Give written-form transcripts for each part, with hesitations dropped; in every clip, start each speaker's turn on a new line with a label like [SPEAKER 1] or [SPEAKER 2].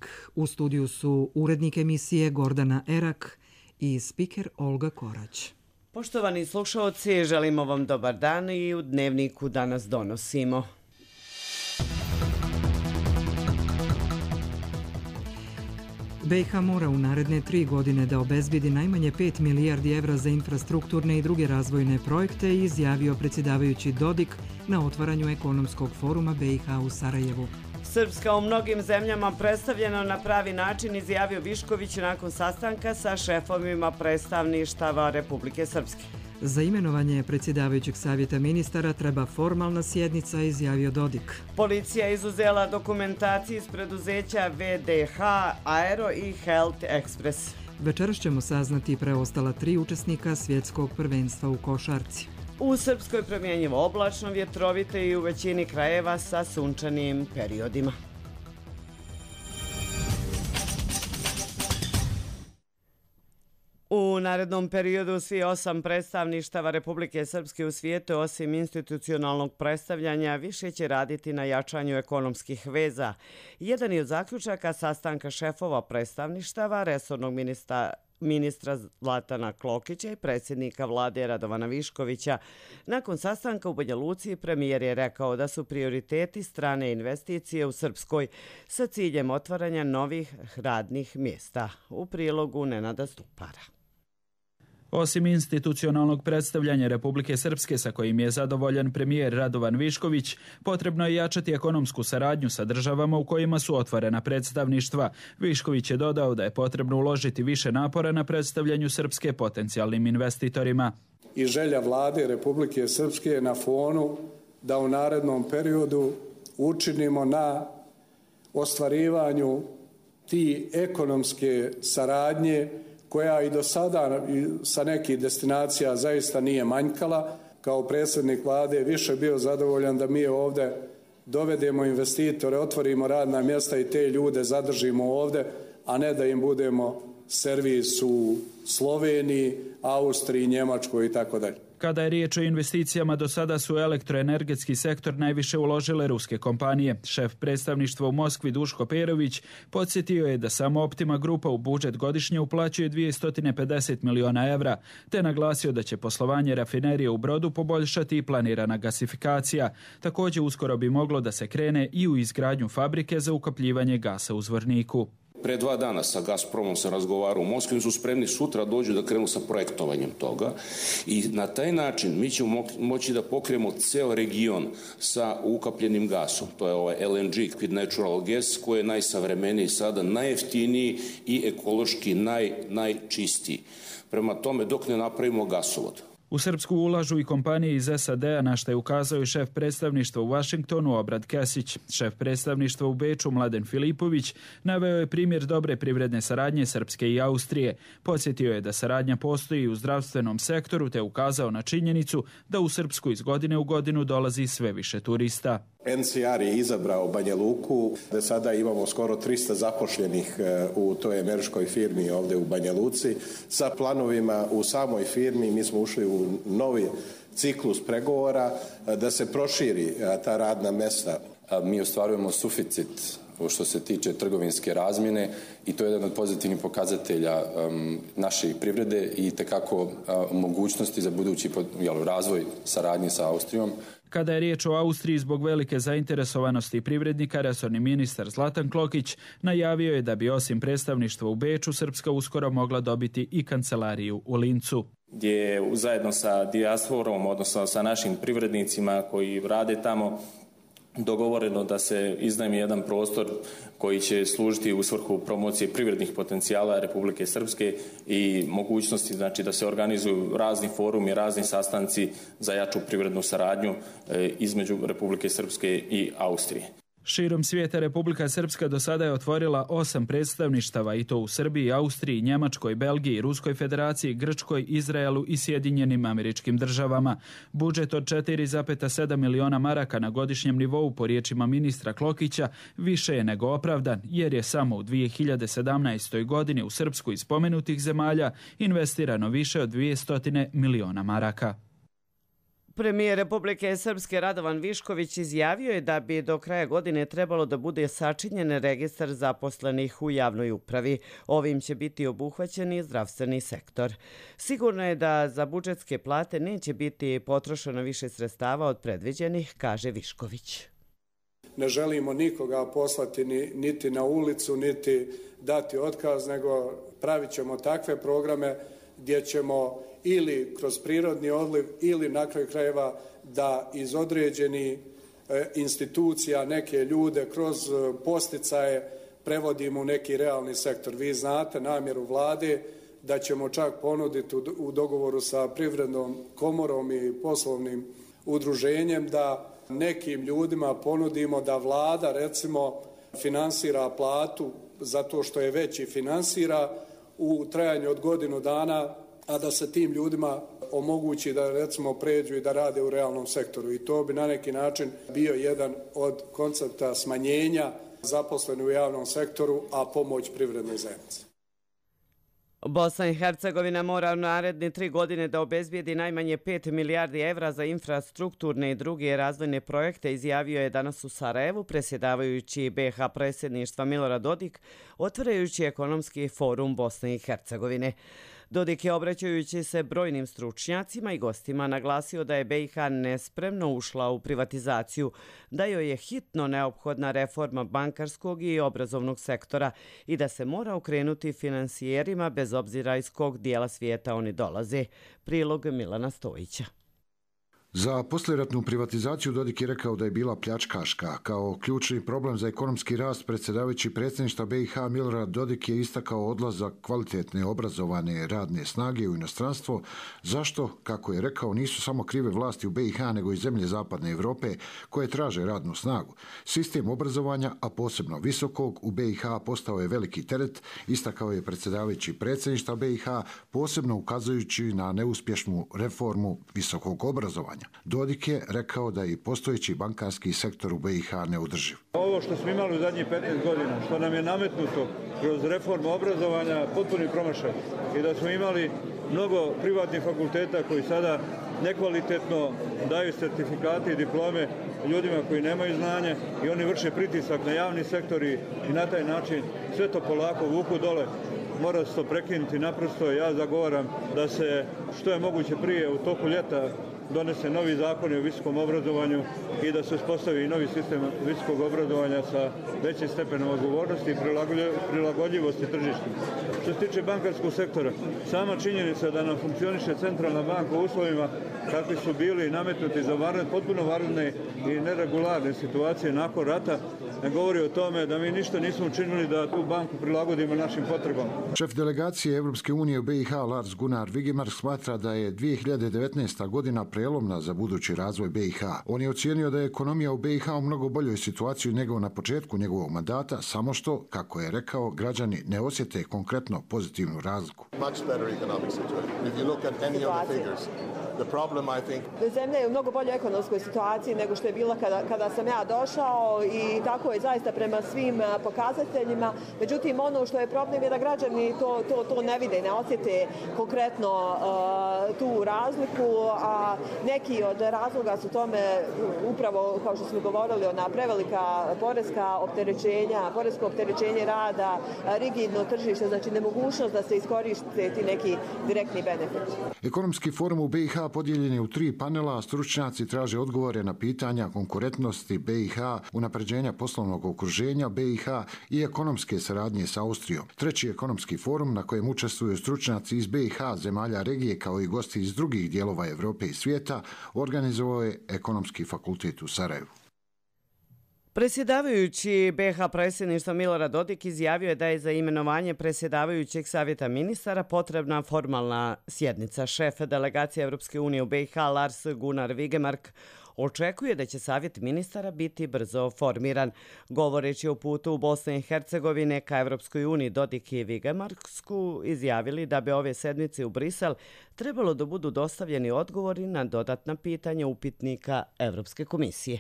[SPEAKER 1] Ponedeljak. U studiju su urednik emisije Gordana Erak i spiker Olga Korać.
[SPEAKER 2] Poštovani slušaoci, želimo vam dobar dan i u Dnevniku danas donosimo.
[SPEAKER 1] BiH mora u naredne 3 godine da obezbedi najmanje 5 milijardi evra za infrastrukturne i druge razvojne projekte, izjavio predsjedavajući Dodik na otvaranju ekonomskog foruma BiH u Sarajevu.
[SPEAKER 2] Srpska u mnogim zemljama predstavljeno na pravi način, izjavio Višković nakon sastanka sa šefovima predstavništava Republike Srpske.
[SPEAKER 1] Za imenovanje predsjedavajućeg savjeta ministara treba formalna sjednica, izjavio Dodik.
[SPEAKER 2] Policija izuzela dokumentaciju iz preduzeća VDH, Aero i Health Express.
[SPEAKER 1] Večeras ćemo saznati preostala 3 učesnika svjetskog prvenstva u košarci.
[SPEAKER 2] U Srpskoj promjenjivo oblačno, vjetrovite i u većini krajeva sa sunčanim periodima. U narednom periodu svi 8 predstavništava Republike Srpske u svijetu, osim institucionalnog predstavljanja, više će raditi na jačanju ekonomskih veza. Jedan je od zaključaka sastanka šefova predstavništava, resornog ministra Zlatana Klokića i predsjednika vlade Radovana Viškovića. Nakon sastanka u Banja Luci premijer je rekao da su prioriteti strane investicije u Srpskoj sa ciljem otvaranja novih radnih mjesta. U prilogu Nenada Stupara.
[SPEAKER 3] Osim institucionalnog predstavljanja Republike Srpske, sa kojim je zadovoljan premijer Radovan Višković, potrebno je jačati ekonomsku saradnju sa državama u kojima su otvorena predstavništva. Višković je dodao da je potrebno uložiti više napora na predstavljanju Srpske potencijalnim investitorima.
[SPEAKER 4] I želja vlade Republike Srpske na fonu da u narednom periodu učinimo na ostvarivanju ti ekonomske saradnje koja i do sada sa nekih destinacija zaista nije manjkala. Kao predsjednik vlade više bio zadovoljan da mi ovdje dovedemo investitore, otvorimo radna mjesta i te ljude zadržimo ovdje, a ne da im budemo servis u Sloveniji, Austriji, Njemačkoj i tako dalje.
[SPEAKER 3] Kada je riječ o investicijama, do sada su elektroenergetski sektor najviše uložile ruske kompanije. Šef predstavništva u Moskvi Duško Perović podsjetio je da samo Optima grupa u budžet godišnje uplaćuje 250 miliona evra, te naglasio da će poslovanje rafinerije u Brodu poboljšati i planirana gasifikacija. Također uskoro bi moglo da se krene i u izgradnju fabrike za ukapljivanje gasa u Zvorniku.
[SPEAKER 5] Pre 2 dana sa Gazpromom sam razgovarao u Moskvi, su spremni sutra dođu da krenu sa projektovanjem toga i na taj način mi ćemo moći da pokrijemo ceo region sa ukapljenim gasom. To je ovaj LNG, liquid natural gas, koji je najsavremeniji sada, najjeftiniji i ekološki najčistiji. Prema tome, dok ne napravimo gasovod.
[SPEAKER 3] U Srpsku ulažu i kompanije iz SAD-a, na što je ukazao i šef predstavništva u Vašingtonu Obrad Kesić. Šef predstavništva u Beču Mladen Filipović naveo je primjer dobre privredne saradnje Srpske i Austrije. Podsjetio je da saradnja postoji u zdravstvenom sektoru, te ukazao na činjenicu da u Srpsku iz godine u godinu dolazi sve više turista.
[SPEAKER 4] NCR je izabrao Banja Luku, da sada imamo skoro 300 zapošljenih u toj američkoj firmi ovdje u Banja Luci. Sa planovima u samoj firmi mi smo ušli u novi ciklus pregovora da se proširi ta radna mjesta.
[SPEAKER 6] Mi ostvarujemo suficit što se tiče trgovinske razmjene i to je jedan od pozitivnih pokazatelja naše privrede i tekako mogućnosti za budući razvoj saradnje sa Austrijom.
[SPEAKER 3] Kada je riječ o Austriji, zbog velike zainteresovanosti privrednika, resorni ministar Zlatan Klokić najavio je da bi osim predstavništva u Beču, Srpska uskoro mogla dobiti i kancelariju u Lincu.
[SPEAKER 7] Gdje je zajedno sa dijasporom, odnosno sa našim privrednicima koji rade tamo, dogovoreno da se iznajmi jedan prostor koji će služiti u svrhu promocije privrednih potencijala Republike Srpske i mogućnosti da se organizuju razni forumi, razni sastanci za jaču privrednu saradnju između Republike Srpske i Austrije.
[SPEAKER 3] Širom svijeta Republika Srpska do sada je otvorila 8 predstavništava i to u Srbiji, Austriji, Njemačkoj, Belgiji, Ruskoj federaciji, Grčkoj, Izraelu i Sjedinjenim Američkim Državama. Budžet od 4,7 miliona maraka na godišnjem nivou, po riječima ministra Klokića, više je nego opravdan, jer je samo u 2017. godini u Srpsku iz spomenutih zemalja investirano više od 200 miliona maraka.
[SPEAKER 2] Premijer Republike Srpske Radovan Višković izjavio je da bi do kraja godine trebalo da bude sačinjen registar zaposlenih u javnoj upravi. Ovim će biti obuhvaćen i zdravstveni sektor. Sigurno je da za budžetske plate neće biti potrošeno više sredstava od predviđenih, kaže Višković.
[SPEAKER 4] Ne želimo nikoga poslati niti na ulicu, niti dati otkaz, nego pravit ćemo takve programe gdje ćemo ili kroz prirodni odliv ili na kraju krajeva da iz određenih institucija neke ljude kroz posticaje prevodimo u neki realni sektor. Vi znate namjeru vlade da ćemo čak ponuditi u dogovoru sa Privrednom komorom i poslovnim udruženjem da nekim ljudima ponudimo da vlada recimo finansira platu zato što je već i finansira u trajanju od godinu dana, a da se tim ljudima omogući da recimo pređu i da rade u realnom sektoru. I to bi na neki način bio jedan od koncepta smanjenja zaposlenih u javnom sektoru, a pomoć privrednoj zajednici.
[SPEAKER 2] Bosna i Hercegovina mora u naredne 3 godine da obezbijedi najmanje 5 milijardi evra za infrastrukturne i druge razvojne projekte, izjavio je danas u Sarajevu predsjedavajući BiH predsjedništva Milorad Dodik, otvarajući ekonomski forum Bosne i Hercegovine. Dodik je, obraćajući se brojnim stručnjacima i gostima, naglasio da je BiH nespremno ušla u privatizaciju, da joj je hitno neophodna reforma bankarskog i obrazovnog sektora i da se mora okrenuti finansijerima bez obzira iz kog dijela svijeta oni dolaze. Prilog Milana Stojića.
[SPEAKER 8] Za poslijeratnu privatizaciju Dodik je rekao da je bila pljačkaška. Kao ključni problem za ekonomski rast predsjedavajući predsjedništva BiH Milorad Dodik je istakao odlazak kvalitetne obrazovane radne snage u inostranstvo, zašto, kako je rekao, nisu samo krive vlasti u BiH nego i zemlje zapadne Europe koje traže radnu snagu. Sistem obrazovanja, a posebno visokog, u BiH postao je veliki teret, istakao je predsjedavajući predsjedništva BiH, posebno ukazujući na neuspješnu reformu visokog obrazovanja. Dodik je rekao da je postojeći bankarski sektor u BiH neodrživ.
[SPEAKER 9] Ovo što smo imali u zadnjih 15 godina, što nam je nametnuto kroz reformu obrazovanja, potpuni promašaj. I da smo imali mnogo privatnih fakulteta koji sada nekvalitetno daju sertifikate i diplome ljudima koji nemaju znanje i oni vrše pritisak na javni sektor i na taj način sve to polako vuku dole. Mora se to prekinuti naprosto. Ja zagovaram da se što je moguće prije u toku ljeta donese novi zakon o visokom obrazovanju i da se uspostavi novi sistem visokog obrazovanja sa većim stepenom odgovornosti i prilagodljivosti tržištu. Što se tiče bankarskog sektora, sama činjenica da nam funkcioniše centralna banka u uslovima kakvi su bili nametnuti za potpuno vanredne i neregularne situacije nakon rata ne govori o tome da mi ništa nismo učinili da tu banku prilagodimo našim potrebama.
[SPEAKER 8] Šef delegacije Evropske unije u BiH Lars Gunnar Vigemark smatra da je 2019. godina prelomna za budući razvoj BiH. On je ocijenio da je ekonomija u BiH u mnogo boljoj situaciji nego na početku njegovog mandata, samo što, kako je rekao, građani ne osjete konkretno pozitivnu razliku.
[SPEAKER 10] Zemlja je u mnogo boljoj ekonomskoj situaciji nego što je bila kada sam ja došao i tako je zaista prema svim pokazateljima. Međutim, ono što je problem je da građani to ne vide, ne osjete konkretno tu razliku, a neki od razloga su tome upravo, kao što smo govorili, ona prevelika poreska opterećenja, poresko opterećenje rada, rigidno tržište, znači nemogućnost da se iskoriste ti neki direktni benefiti.
[SPEAKER 8] Ekonomski forum u BiH podijeljen je u 3 panela, a stručnjaci traže odgovore na pitanja konkurentnosti BiH, unapređenja poslovnog okruženja BiH i ekonomske saradnje sa Austrijom. Treći ekonomski forum na kojem učestvuju stručnjaci iz BiH, zemalja regije kao i gosti iz drugih dijelova Europe i svijeta, organizovao je Ekonomski fakultet u Sarajevu.
[SPEAKER 2] Predsjedavajući BiH predsjedništva Milorad Dodik izjavio je da je za imenovanje predsjedavajućeg savjeta ministara potrebna formalna sjednica. Šef delegacije Evropske unije u BiH Lars Gunnar Vigemark očekuje da će savjet ministara biti brzo formiran. Govoreći o putu u Bosne i Hercegovine ka Evropskoj uniji, Dodik i Vigemark su izjavili da bi ove sedmice u Brisel trebalo da budu dostavljeni odgovori na dodatna pitanja upitnika Evropske komisije.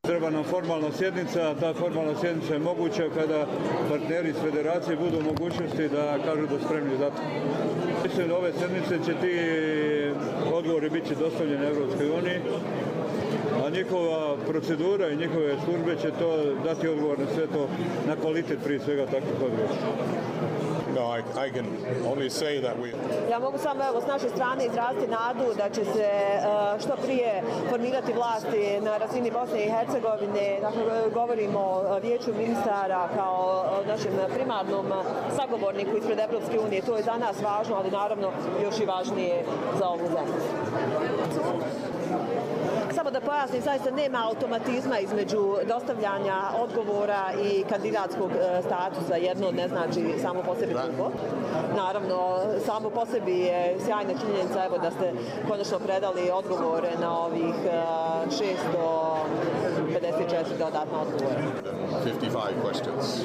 [SPEAKER 9] Treba nam formalna sjednica, ta formalna sjednica je moguća kada partneri iz federacije budu u mogućnosti da kažu da spremni za to. Mislim da ove sedmice će ti odgovori biti dostavljeni Evropskoj uniji, a njihova procedura i njihove službe će to dati odgovor na sve to, na kvalitet prije svega takvih odgovora.
[SPEAKER 10] Ja mogu samo s naše strane izraziti nadu da će se što prije formirati vlasti na razini Bosne i Hercegovine. Dakle, govorimo o vijeću ministara kao našem primarnom sagovorniku ispred Evropske unije. To je za nas važno, ali naravno još i važnije za ovu zemlju. Samo da pojasnim, zaista nema automatizma između dostavljanja odgovora i kandidatskog statusa. Jedno ne znači samo po sebi drugo. Naravno, samo po sebi je sjajna činjenica evo, da ste konačno predali odgovore na ovih 654 dodatna odgovora.
[SPEAKER 11] 55 questions.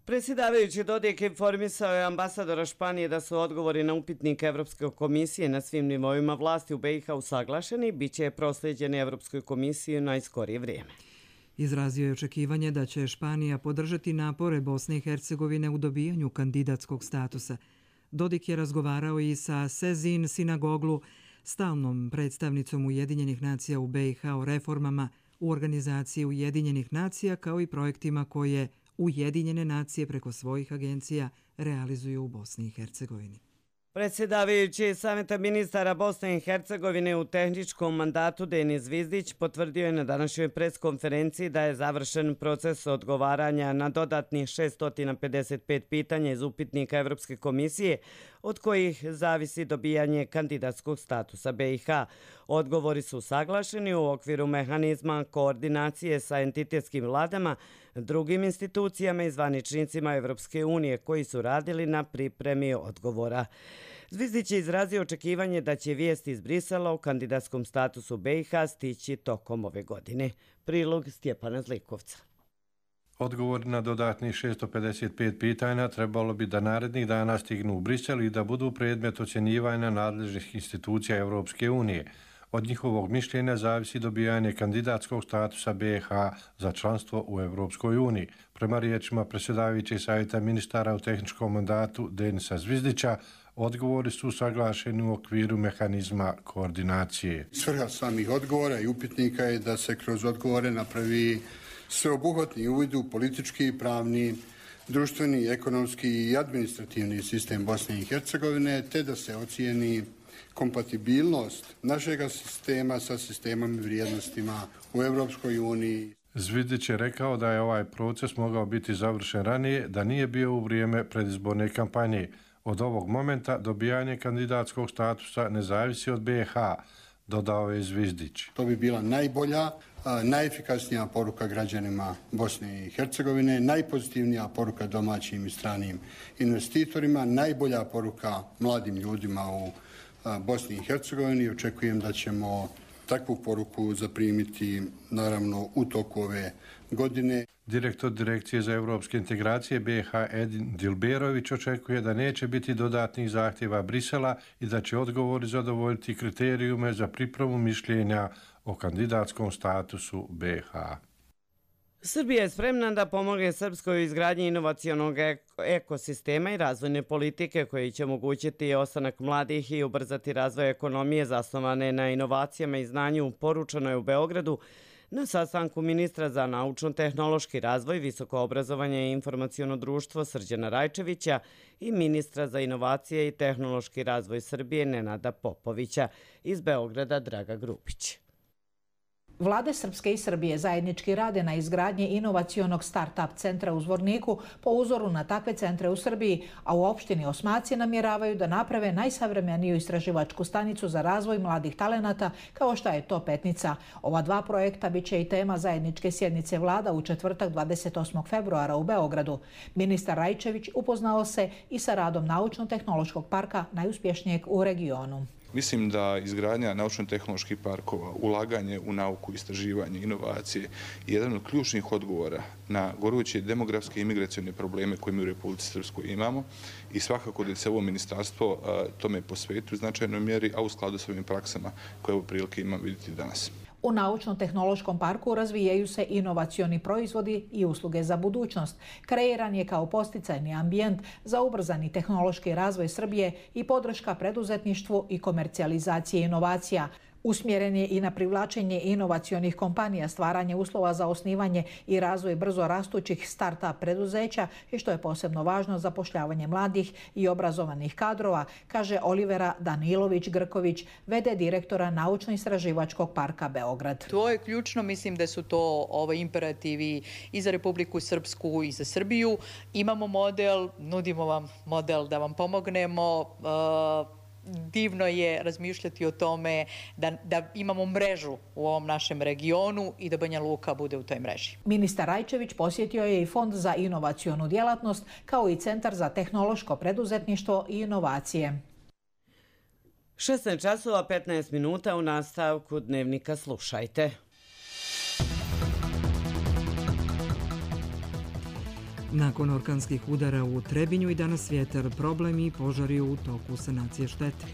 [SPEAKER 2] Predsjedavajući Dodik informisao je ambasadora Španije da su odgovori na upitnik Evropske komisije na svim nivoima vlasti u BiH usaglašeni i bit će proslijeđeni Evropskoj komisiji u najskorije vrijeme.
[SPEAKER 1] Izrazio je očekivanje da će Španija podržati napore Bosne i Hercegovine u dobijanju kandidatskog statusa. Dodik je razgovarao i sa Sezin Sinagoglu, stalnom predstavnicom Ujedinjenih nacija u BiH o reformama u organizaciji Ujedinjenih nacija kao i projektima koje Ujedinjene nacije preko svojih agencija realizuju u Bosni i Hercegovini.
[SPEAKER 2] Predsjedavajući Saveta ministara Bosne i Hercegovine u tehničkom mandatu Denis Zvizdić potvrdio je na današnjoj preskonferenciji da je završen proces odgovaranja na dodatnih 655 pitanja iz upitnika Evropske komisije, od kojih zavisi dobijanje kandidatskog statusa BiH. Odgovori su saglašeni u okviru mehanizma koordinacije sa entitetskim vladama, drugim institucijama i zvaničnicima Evropske unije koji su radili na pripremi odgovora. Zvizdić je izrazio očekivanje da će vijest iz Brisela o kandidatskom statusu BiH stići tokom ove godine. Prilog Stjepana Zlikovca.
[SPEAKER 12] Odgovor na dodatnih 655 pitanja trebalo bi da narednih dana stignu u Brisel i da budu predmet ocjenjivanja nadležnih institucija Evropske unije. Od njihovog mišljenja zavisi dobijanje kandidatskog statusa BiH za članstvo u Evropskoj uniji. Prema riječima predsjedavajućeg savjeta ministara u tehničkom mandatu Denisa Zvizdića, odgovori su saglašeni u okviru mehanizma koordinacije.
[SPEAKER 13] Svrha samih odgovora i upitnika je da se kroz odgovore napravi sveobuhvatni uvid u politički, pravni, društveni, ekonomski i administrativni sistem Bosne i Hercegovine, te da se ocijeni kompatibilnost našega sistema sa sistemom i vrijednostima u Evropskoj uniji.
[SPEAKER 12] Zvizdić je rekao da je ovaj proces mogao biti završen ranije, da nije bio u vrijeme predizborne kampanje. Od ovog momenta dobijanje kandidatskog statusa ne zavisi od BiH, dodao je Zvizdić.
[SPEAKER 13] To bi bila najbolja, najefikasnija poruka građanima Bosne i Hercegovine, najpozitivnija poruka domaćim i stranim investitorima, najbolja poruka mladim ljudima u Bosni i Hercegovini. Očekujem da ćemo takvu poruku zaprimiti naravno u toku ove godine.
[SPEAKER 12] Direktor Direkcije za evropske integracije BiH Edin Dilberović očekuje da neće biti dodatnih zahtjeva Brisela i da će odgovori zadovoljiti kriterijume za pripremu mišljenja o kandidatskom statusu BiH.
[SPEAKER 2] Srbija je spremna da pomogne Srpskoj u izgradnji inovacionog ekosistema i razvojne politike koji će omogućiti ostanak mladih i ubrzati razvoj ekonomije zasnovane na inovacijama i znanju, poručeno je u Beogradu na sastanku ministra za naučno-tehnološki razvoj, visoko obrazovanje i informaciono društvo Srđana Rajčevića i ministra za inovacije i tehnološki razvoj Srbije Nenada Popovića. Iz Beograda Draga Grupić.
[SPEAKER 14] Vlade Srpske i Srbije zajednički rade na izgradnji inovacionog start-up centra u Zvorniku po uzoru na takve centre u Srbiji, a u opštini Osmaci namjeravaju da naprave najsavremeniju istraživačku stanicu za razvoj mladih talenata kao što je to Petnica. Ova dva projekta bit će i tema zajedničke sjednice vlada u četvrtak 28. februara u Beogradu. Ministar Rajčević upoznao se i sa radom naučno-tehnološkog parka najuspješnijeg u regionu.
[SPEAKER 15] Mislim da izgradnja naučno-tehnoloških parkova, ulaganje u nauku, istraživanje, inovacije je jedan od ključnih odgovora na goruće demografske i imigracione probleme koje mi u Republici Srpskoj imamo i svakako da se ovo ministarstvo tome posveti u značajnoj mjeri, a u skladu s ovim praksama koje u prilike imam vidjeti danas.
[SPEAKER 14] U naučno-tehnološkom parku razvijaju se inovacioni proizvodi i usluge za budućnost. Kreiran je kao podsticajni ambijent za ubrzani tehnološki razvoj Srbije i podrška preduzetništvu i komercijalizacije inovacija. Usmjeren je i na privlačenje inovacionih kompanija, stvaranje uslova za osnivanje i razvoj brzo rastućih start-up preduzeća i što je posebno važno zapošljavanje mladih i obrazovanih kadrova, kaže Olivera Danilović-Grković, v.d. direktora Naučno-istraživačkog parka Beograd.
[SPEAKER 16] To je ključno, mislim da su to imperativi i za Republiku Srpsku i za Srbiju. Imamo model, nudimo vam model da vam pomognemo. Divno je razmišljati o tome da imamo mrežu u ovom našem regionu i da Banja Luka bude u toj mreži.
[SPEAKER 14] Ministar Rajčević posjetio je i Fond za inovacionu djelatnost kao i Centar za tehnološko preduzetništvo i inovacije.
[SPEAKER 2] 16 časova 15 minuta u nastavku Dnevnika slušajte.
[SPEAKER 1] Nakon orkanskih udara u Trebinju i danas vjetar, problem i požari u toku sanacije štete.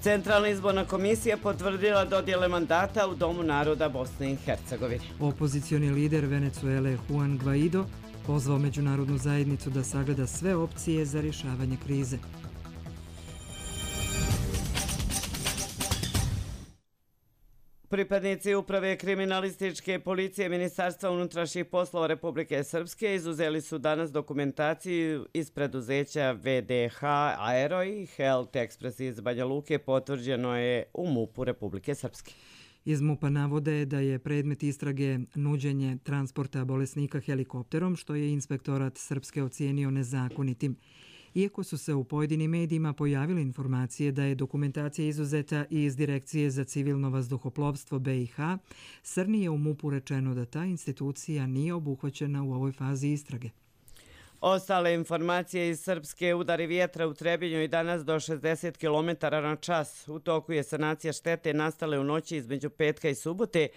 [SPEAKER 2] Centralna izborna komisija potvrdila dodjele mandata u Domu naroda Bosne i Hercegovine.
[SPEAKER 1] Opozicioni lider Venezuele Juan Guaido pozvao međunarodnu zajednicu da sagleda sve opcije za rješavanje krize.
[SPEAKER 2] Pripadnici uprave kriminalističke policije Ministarstva unutrašnjih poslova Republike Srpske izuzeli su danas dokumentaciju iz preduzeća VDH Aero i Health Express iz Banja Luke, potvrđeno je u MUP-u Republike Srpske.
[SPEAKER 1] Iz MUP-a navode da je predmet istrage nuđenje transporta bolesnika helikopterom, što je inspektorat Srpske ocijenio nezakonitim. Iako su se u pojedinim medijima pojavile informacije da je dokumentacija izuzeta i iz Direkcije za civilno vazduhoplovstvo BiH, Srni je u MUP-u rečeno da ta institucija nije obuhvaćena u ovoj fazi istrage.
[SPEAKER 2] Ostale informacije iz Srpske: udari vjetra u Trebinju i danas do 60 km na čas. U toku je sanacija štete nastale u noći između petka i subote,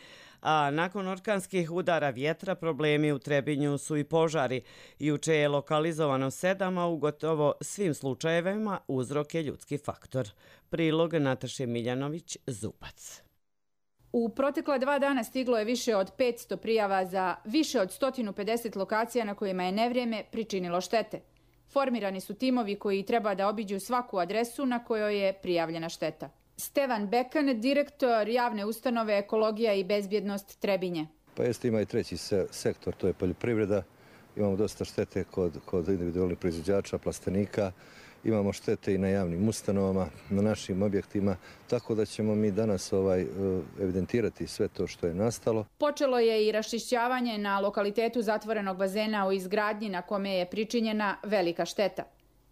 [SPEAKER 2] a nakon orkanskih udara vjetra problemi u Trebinju su i požari. Juče je lokalizovano 7, a u gotovo svim slučajevima uzrok je ljudski faktor. Prilog Nataše Miljanović-Zubac.
[SPEAKER 17] U protekla 2 dana stiglo je više od 500 prijava za više od 150 lokacija na kojima je nevrijeme pričinilo štete. Formirani su timovi koji treba da obiđu svaku adresu na kojoj je prijavljena šteta. Stevan Bekan, direktor javne ustanove Ekologija i bezbjednost Trebinje.
[SPEAKER 18] Pa jeste, ima i treći sektor, to je poljoprivreda. Imamo dosta štete kod individualnih proizvođača, plastenika. Imamo štete i na javnim ustanovama, na našim objektima, tako da ćemo mi danas evidentirati sve to što je nastalo.
[SPEAKER 17] Počelo je i raščišćavanje na lokalitetu zatvorenog bazena u izgradnji na kome je pričinjena velika šteta.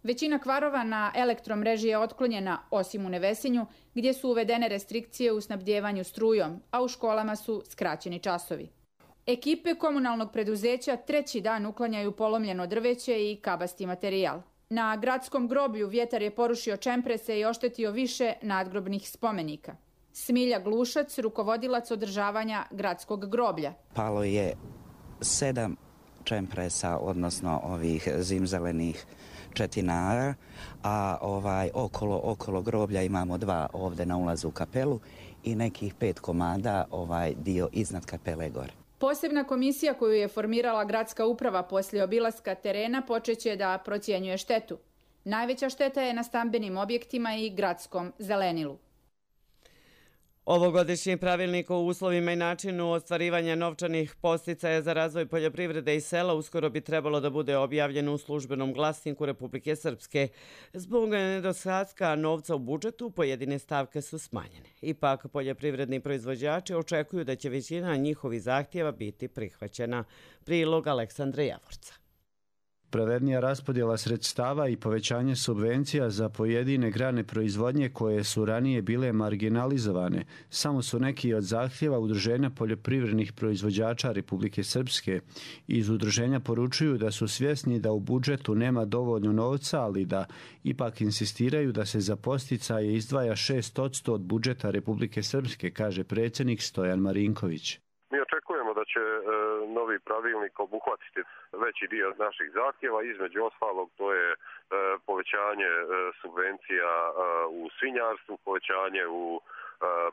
[SPEAKER 17] Većina kvarova na elektromreži je otklonjena, osim u Nevesinju, gdje su uvedene restrikcije u snabdjevanju strujom, a u školama su skraćeni časovi. Ekipe komunalnog preduzeća 3. dan uklanjaju polomljeno drveće i kabasti materijal. Na gradskom groblju vjetar je porušio čemprese i oštetio više nadgrobnih spomenika. Smilja Glušac, rukovodilac održavanja gradskog groblja.
[SPEAKER 19] Palo je 7 čempresa, odnosno ovih zimzelenih četinara, a okolo groblja imamo 2 ovdje na ulazu u kapelu i nekih 5 komada dio iznad kapele gore.
[SPEAKER 17] Posebna komisija koju je formirala gradska uprava poslije obilaska terena počeće da procjenjuje štetu. Najveća šteta je na stambenim objektima i gradskom zelenilu.
[SPEAKER 2] Ovogodišnji pravilnik o uslovima i načinu ostvarivanja novčanih podsticaja za razvoj poljoprivrede i sela uskoro bi trebalo da bude objavljen u službenom glasniku Republike Srpske. Zbog nedostatka novca u budžetu pojedine stavke su smanjene. Ipak poljoprivredni proizvođači očekuju da će većina njihovih zahtjeva biti prihvaćena. Prilog Aleksandra Javorca.
[SPEAKER 20] Pravednija raspodjela sredstava i povećanje subvencija za pojedine grane proizvodnje koje su ranije bile marginalizovane samo su neki od zahtjeva Udruženja poljoprivrednih proizvođača Republike Srpske. Iz udruženja poručuju da su svjesni da u budžetu nema dovoljno novca, ali da ipak insistiraju da se za podsticaje izdvaja 6% od budžeta Republike Srpske, kaže predsjednik Stojan Marinković.
[SPEAKER 21] Mi očekujemo da će novi pravilnik obuhvatiti veći dio naših zahtjeva. Između ostalog to je povećanje subvencija u svinjarstvu, povećanje u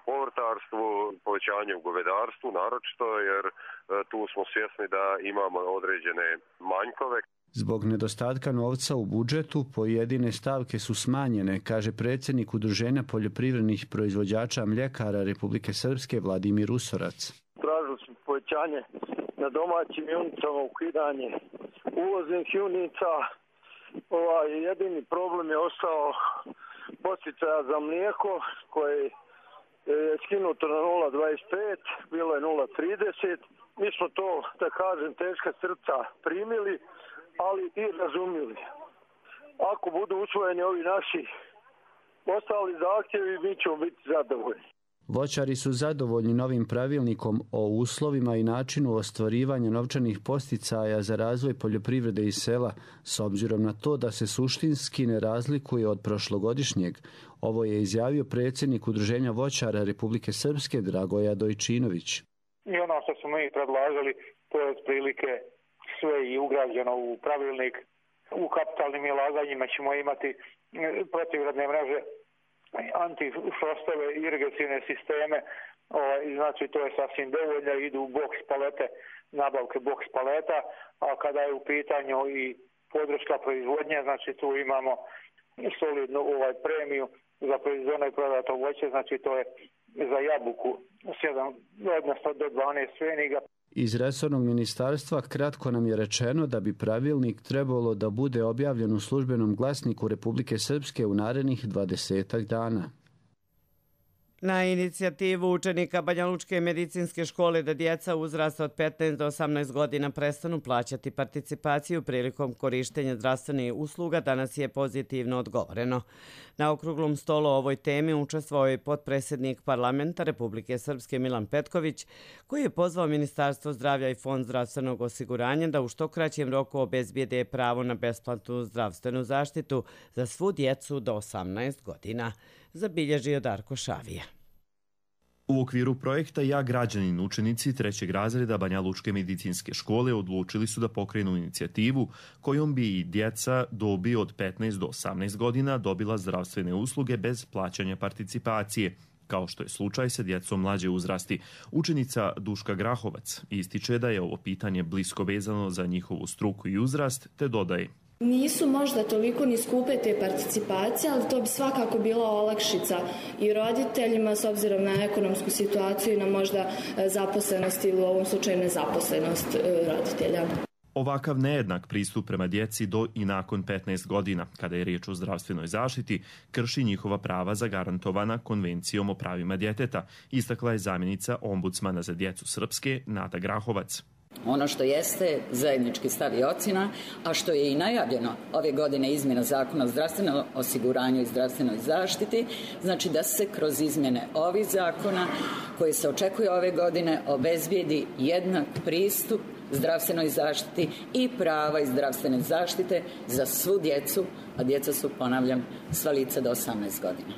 [SPEAKER 21] povrtarstvu, povećanje u govedarstvu naročito, jer tu smo svjesni da imamo određene manjkove.
[SPEAKER 20] Zbog nedostatka novca u budžetu pojedine stavke su smanjene, kaže predsjednik Udruženja poljoprivrednih proizvođača mljekara Republike Srpske Vladimir Usorac.
[SPEAKER 5] Tražili smo povećanje na domaćim junicama, ukidanje uvoznih junica. Jedini problem je ostao podsticaja za mlijeko koje je skinuto na 0,25, bilo je 0,30. Mi smo to, da kažem, teška srca primili, ali i razumjeli. Ako budu usvojeni ovi naši ostali zahtjevi, mi ćemo biti zadovoljni.
[SPEAKER 20] Voćari su zadovoljni novim pravilnikom o uslovima i načinu ostvarivanja novčanih posticaja za razvoj poljoprivrede i sela, s obzirom na to da se suštinski ne razlikuje od prošlogodišnjeg. Ovo je izjavio predsjednik Udruženja voćara Republike Srpske Dragoja Dojčinović.
[SPEAKER 22] I ono što smo mi predlažili, to je otprilike sve i ugrađeno u pravilnik. U kapitalnim ulaganjima ćemo imati protivgradne mreže, antifrostove, irigacione sisteme, i znači to je sasvim dovoljno, idu u boks palete, nabavke boks paleta, a kada je u pitanju i podrška proizvodnje, znači tu imamo solidnu premiju za proizvodno i prodato voće, znači to je za jabuku 7, odnosno do 12 pfeniga.
[SPEAKER 20] Iz resornog ministarstva kratko nam je rečeno da bi pravilnik trebalo da bude objavljen u službenom glasniku Republike Srpske u narednih 20 dana.
[SPEAKER 2] Na inicijativu učenika Banjalučke medicinske škole da djeca uzrasta od 15 do 18 godina prestanu plaćati participaciju prilikom korištenja zdravstvenih usluga, danas je pozitivno odgovoreno. Na okruglom stolu o ovoj temi učestvovao je potpredsjednik parlamenta Republike Srpske Milan Petković, koji je pozvao Ministarstvo zdravlja i Fond zdravstvenog osiguranja da u što kraćem roku obezbijede pravo na besplatnu zdravstvenu zaštitu za svu djecu do 18 godina. Zabilježio Darko Šavija.
[SPEAKER 23] U okviru projekta Ja građanin učenici 3. razreda Banjalučke medicinske škole odlučili su da pokrenu inicijativu kojom bi i djeca dobi od 15 do 18 godina dobila zdravstvene usluge bez plaćanja participacije, kao što je slučaj sa djecom mlađe uzrasti. Učenica Duška Grahovac ističe da je ovo pitanje blisko vezano za njihovu struku i uzrast, te dodaje:
[SPEAKER 24] Nisu možda toliko ni skupe te participacije, ali to bi svakako bila olakšica i roditeljima s obzirom na ekonomsku situaciju i na možda zaposlenost ili u ovom slučaju nezaposlenost roditelja.
[SPEAKER 23] Ovakav nejednak pristup prema djeci do i nakon 15 godina, kada je riječ o zdravstvenoj zaštiti, krši njihova prava zagarantovana Konvencijom o pravima djeteta, istakla je zamjenica ombudsmana za djecu Srpske Nada Grahovac.
[SPEAKER 25] Ono što jeste zajednički stav i ocjena, a što je i najavljeno ove godine izmjena Zakona o zdravstvenom osiguranju i zdravstvenoj zaštiti, znači da se kroz izmjene ovih zakona koje se očekuje ove godine obezbijedi jednak pristup zdravstvenoj zaštiti i prava iz zdravstvene zaštite za svu djecu, a djeca su, ponavljam, sva lica do 18 godina.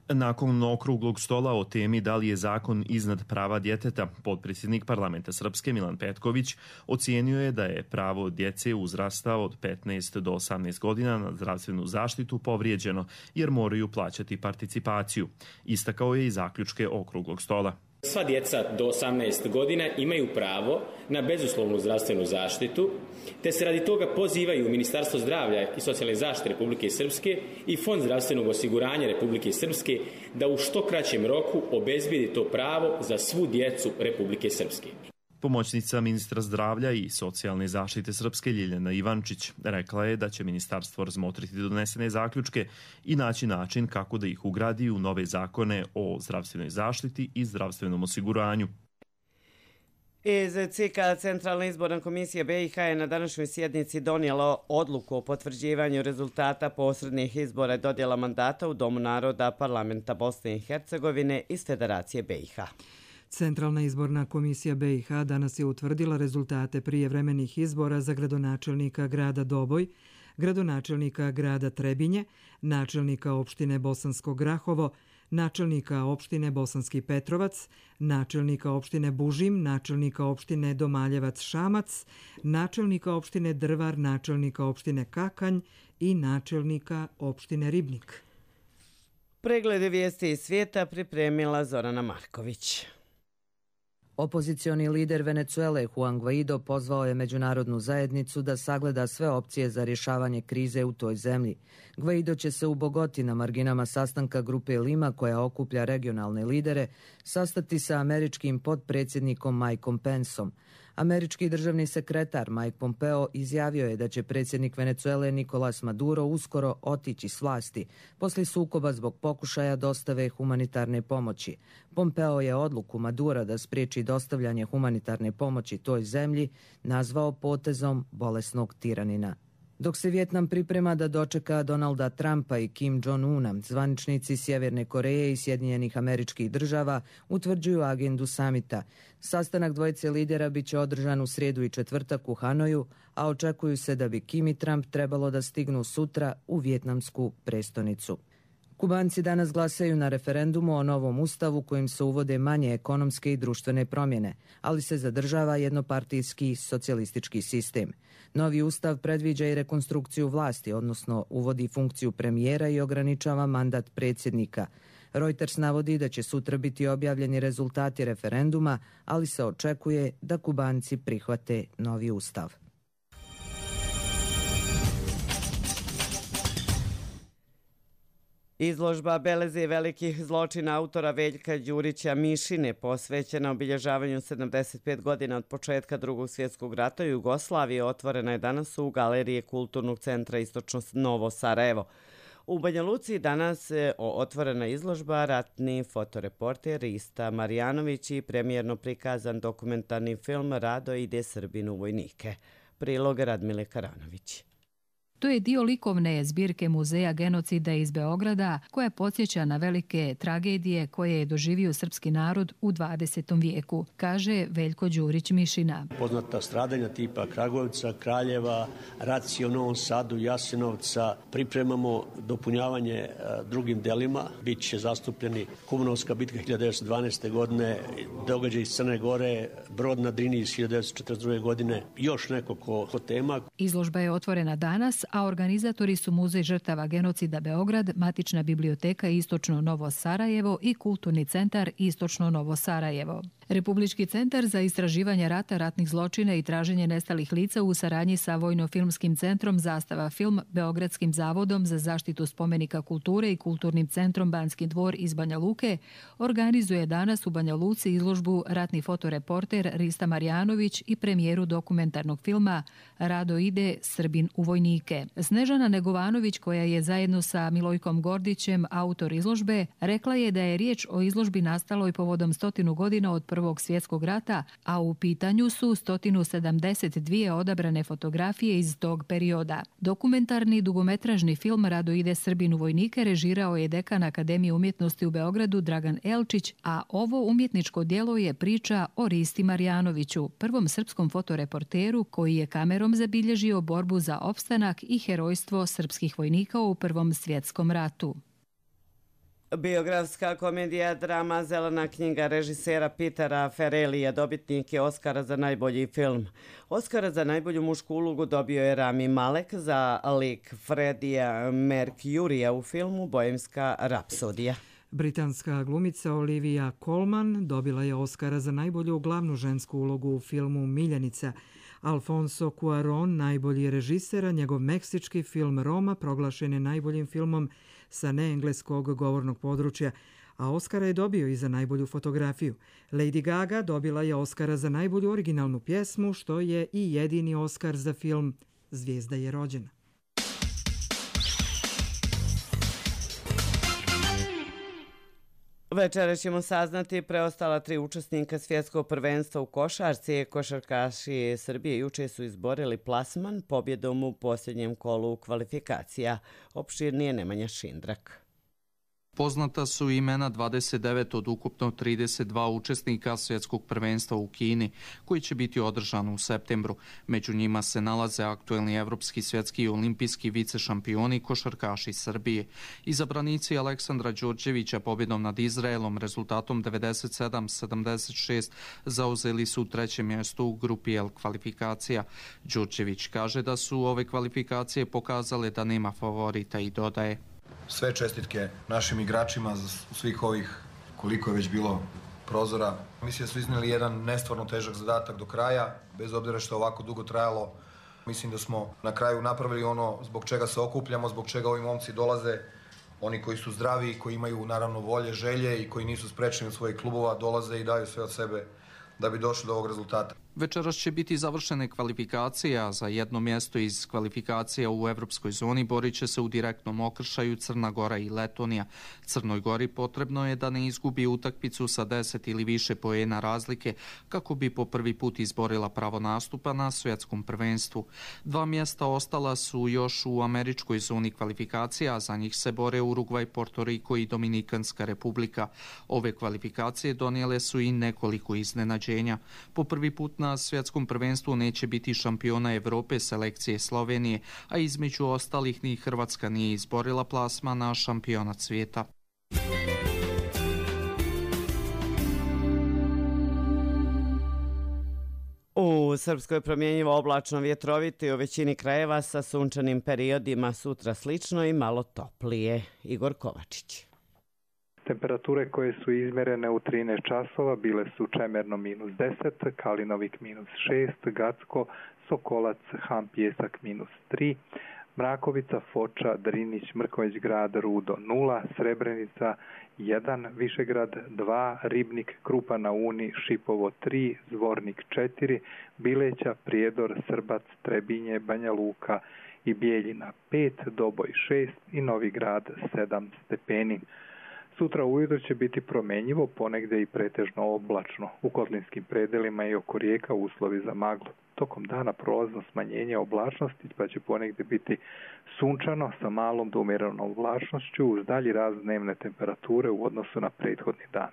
[SPEAKER 23] Nakon okruglog stola o temi da li je zakon iznad prava djeteta, potpredsjednik parlamenta Srpske Milan Petković ocijenio je da je pravo djece uzrasta od 15 do 18 godina na zdravstvenu zaštitu povrijeđeno jer moraju plaćati participaciju. Istakao je i zaključke okruglog stola.
[SPEAKER 26] Sva djeca do 18 godina imaju pravo na bezuslovnu zdravstvenu zaštitu, te se radi toga pozivaju Ministarstvo zdravlja i socijalne zaštite Republike Srpske i Fond zdravstvenog osiguranja Republike Srpske da u što kraćem roku obezbijedi to pravo za svu djecu Republike Srpske.
[SPEAKER 23] Pomoćnica ministra zdravlja i socijalne zaštite Srpske Ljiljana Ivančić rekla je da će ministarstvo razmotriti donesene zaključke i naći način kako da ih ugradi u nove zakone o zdravstvenoj zaštiti i zdravstvenom osiguranju.
[SPEAKER 2] Iz CIK-a Centralna izborna komisija BiH je na današnjoj sjednici donijela odluku o potvrđivanju rezultata posrednih izbora i dodjela mandata u Domu naroda Parlamenta Bosne i Hercegovine iz Federacije BiH.
[SPEAKER 1] Centralna izborna komisija BiH danas je utvrdila rezultate prijevremenih izbora za gradonačelnika grada Doboj, gradonačelnika grada Trebinje, načelnika opštine Bosansko Grahovo, načelnika opštine Bosanski Petrovac, načelnika opštine Bužim, načelnika opštine Domaljevac Šamac, načelnika opštine Drvar, načelnika opštine Kakanj i načelnika opštine Ribnik.
[SPEAKER 2] Preglede vijesti iz svijeta pripremila Zorana Marković.
[SPEAKER 3] Opozicioni lider Venezuele Juan Guaido pozvao je međunarodnu zajednicu da sagleda sve opcije za rješavanje krize u toj zemlji. Guaido će se u Bogoti na marginama sastanka grupe Lima koja okuplja regionalne lidere sastati sa američkim potpredsjednikom Mikeom Penceom. Američki državni sekretar Mike Pompeo izjavio je da će predsjednik Venezuele Nicolás Maduro uskoro otići s vlasti poslije sukoba zbog pokušaja dostave humanitarne pomoći. Pompeo je odluku Madura da spriječi dostavljanje humanitarne pomoći toj zemlji nazvao potezom bolesnog tiranina. Dok se Vjetnam priprema da dočeka Donalda Trumpa i Kim Jong-una, zvaničnici Sjeverne Koreje i Sjedinjenih Američkih Država utvrđuju agendu samita. Sastanak dvojice lidera bit će održan u srijedu i četvrtak u Hanoju, a očekuju se da bi Kim i Trump trebalo da stignu sutra u vjetnamsku prestonicu. Kubanci danas glasaju na referendumu o novom ustavu kojim se uvode manje ekonomske i društvene promjene, ali se zadržava jednopartijski socijalistički sistem. Novi ustav predviđa i rekonstrukciju vlasti, odnosno uvodi funkciju premijera i ograničava mandat predsjednika. Reuters navodi da će sutra biti objavljeni rezultati referenduma, ali se očekuje da Kubanci prihvate novi ustav.
[SPEAKER 2] Izložba Belezije velikih zločina autora Veljka Đurića Mišine posvećena obilježavanju 75 godina od početka Drugog svjetskog rata u Jugoslaviji otvorena je danas u Galeriji Kulturnog centra Istočno Novo Sarajevo. U Banja Luci danas je otvorena izložba ratni fotoreporter Rista Marjanović i premijerno prikazan dokumentarni film Rado ide Srbin u vojnike. Prilog Radmile Karanović.
[SPEAKER 4] To je dio likovne zbirke Muzeja genocida iz Beograda koja podsjeća na velike tragedije koje je doživio srpski narod u 20. vijeku, kaže Veljko Đurić Mišina.
[SPEAKER 6] Poznata stradanja tipa Kragujevca, Kraljeva, racije u Novom Sadu, Jasenovca. Pripremamo dopunjavanje drugim delima. Biće zastupljeni Kumanovska bitka 1912. godine, događaj iz Crne Gore, Brod na Drini iz 1942. godine, još nekoliko tema.
[SPEAKER 4] Izložba je otvorena danas, a organizatori su Muzej žrtava genocida Beograd, Matična biblioteka Istočno Novo Sarajevo i Kulturni centar Istočno Novo Sarajevo. Republički centar za istraživanje rata, ratnih zločina i traženje nestalih lica u saradnji sa Vojno-filmskim centrom Zastava film, Beogradskim zavodom za zaštitu spomenika kulture i Kulturnim centrom Banski dvor iz Banja Luke organizuje danas u Banja Luci izložbu ratni fotoreporter Rista Marjanović i premijeru dokumentarnog filma Rado ide Srbin u vojnike. Snežana Negovanović, koja je zajedno sa Milojkom Gordićem autor izložbe, rekla je da je riječ o izložbi nastaloj povodom 100 godina od Prvog svjetskog rata, a u pitanju su 172 odabrane fotografije iz tog perioda. Dokumentarni dugometražni film Rado ide Srbin u vojnike režirao je dekan Akademije umjetnosti u Beogradu Dragan Elčić, a ovo umjetničko djelo je priča o Risti Marjanoviću, prvom srpskom fotoreporteru koji je kamerom zabilježio borbu za opstanak i herojstvo srpskih vojnika u Prvom svjetskom ratu.
[SPEAKER 2] Biografska komedija drama Zelena knjiga režisera Petera Farrellija dobitnik je Oskara za najbolji film. Oskara za najbolju mušku ulogu dobio je Rami Malek za lik Freddija Mercurija u filmu Bohemska rapsodija.
[SPEAKER 1] Britanska glumica Olivia Colman dobila je Oskara za najbolju glavnu žensku ulogu u filmu Miljenica. Alfonso Cuarón, najbolji režiser, a njegov meksički film Roma proglašen je najboljim filmom sa neengleskog govornog područja, a Oskara je dobio i za najbolju fotografiju. Lady Gaga dobila je Oskara za najbolju originalnu pjesmu, što je i jedini Oskar za film Zvijezda je rođena.
[SPEAKER 2] Večera ćemo saznati preostala 3 učesnika svjetskog prvenstva u košarci. Košarkaši Srbije juče su izborili plasman pobjedom u posljednjem kolu kvalifikacija. Opširnije Nemanja Šindrak.
[SPEAKER 7] Poznata su imena 29 od ukupno 32 učesnika svjetskog prvenstva u Kini, koji će biti održan u septembru. Među njima se nalaze aktuelni evropski, svjetski i olimpijski vicešampioni košarkaši Srbije. Izabranici Aleksandra Đorđevića pobjedom nad Izraelom rezultatom 97-76 zauzeli su 3. mjesto u grupi L kvalifikacija. Đorđević kaže da su ove kvalifikacije pokazale da nema favorita i dodaje:
[SPEAKER 8] Sve čestitke našim igračima za svih ovih koliko je već bilo prozora. Mislim da su iznijeli jedan nestvarno težak zadatak do kraja, bez obzira što je ovako dugo trajalo. Mislim da smo na kraju napravili ono zbog čega se okupljamo, zbog čega ovi momci dolaze. Oni koji su zdravi, koji imaju naravno volje, želje i koji nisu sprečeni od svojih klubova, dolaze i daju sve od sebe da bi došli do ovog rezultata.
[SPEAKER 7] Večeras će biti završene kvalifikacije, a za jedno mjesto iz kvalifikacija u evropskoj zoni borit će se u direktnom okršaju Crna Gora i Letonija. Crnoj Gori potrebno je da ne izgubi utakmicu sa 10 ili više poena razlike kako bi po prvi put izborila pravo nastupa na svjetskom prvenstvu. 2 mjesta ostala su još u američkoj zoni kvalifikacija, a za njih se bore Urugvaj, Porto Riko i Dominikanska republika. Ove kvalifikacije donijele su i nekoliko iznenađenja. Po prvi put na svjetskom prvenstvu neće biti šampiona Evrope selekcije Slovenije, a između ostalih ni Hrvatska nije izborila plasma na šampionat svijeta.
[SPEAKER 2] U Srpskoj promjenjivo oblačno, vjetrovito i u većini krajeva sa sunčanim periodima, sutra slično i malo toplije. Igor Kovačić.
[SPEAKER 9] Temperature koje su izmjerene u 13 časova bile su Čemerno -10, Kalinovik -6, Gacko, Sokolac, Ham Pjesak -3, Mrakovica, Foča, Drinić, Mrkonjić Grad, Rudo 0, Srebrenica 1, Višegrad 2, Ribnik, Krupa na Uni, Šipovo 3, Zvornik 4, Bileća, Prijedor, Srbac, Trebinje, Banja Luka i Bijeljina 5, Doboj 6 i Novi Grad 7 stepeni. Sutra ujutro će biti promenjivo, ponegdje i pretežno oblačno. U kotlinskim predelima i oko rijeka uslovi za maglu. Tokom dana prolazno smanjenje oblačnosti, pa će ponegdje biti sunčano sa malom do umjerenom oblačnošću uz dalji rast dnevne temperature u odnosu na prethodni dan.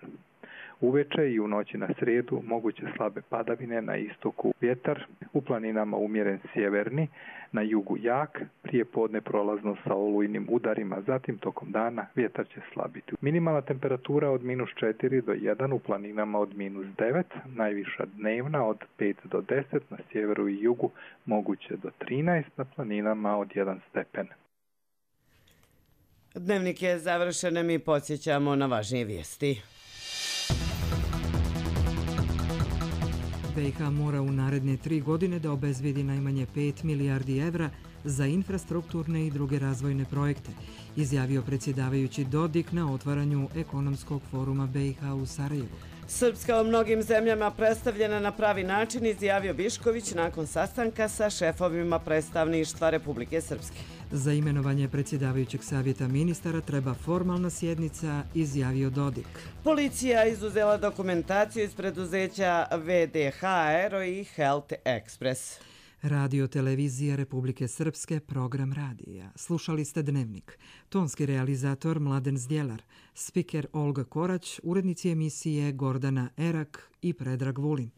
[SPEAKER 9] Uveče i u noći na srijedu moguće slabe padavine na istoku, vjetar u planinama umjeren sjeverni, na jugu jak, prije podne prolazno sa olujnim udarima, zatim tokom dana vjetar će slabiti. Minimalna temperatura od -4 do 1 u planinama od -9, najviša dnevna od 5 do 10, na sjeveru i jugu moguće do 13, na planinama od 1 stepen.
[SPEAKER 2] Dnevnik je završen, mi podsjećamo na važnije vijesti. BiH mora u naredne 3 godine da obezvijedi najmanje 5 milijardi evra za infrastrukturne i druge razvojne projekte, izjavio predsjedavajući Dodik na otvaranju ekonomskog foruma BiH u Sarajevu. Srpska u mnogim zemljama predstavljena na pravi način, izjavio Bišković nakon sastanka sa šefovima predstavništva Republike Srpske. Za imenovanje predsjedavajućeg savjeta ministara treba formalna sjednica, izjavio Dodik. Policija izuzela dokumentaciju iz preduzeća VDH Aero i Health Express. Radio televizija Republike Srpske, program radija. Slušali ste Dnevnik. Tonski realizator Mladen Zdjelar, spiker Olga Korać, urednici emisije Gordana Erak i Predrag Vulin.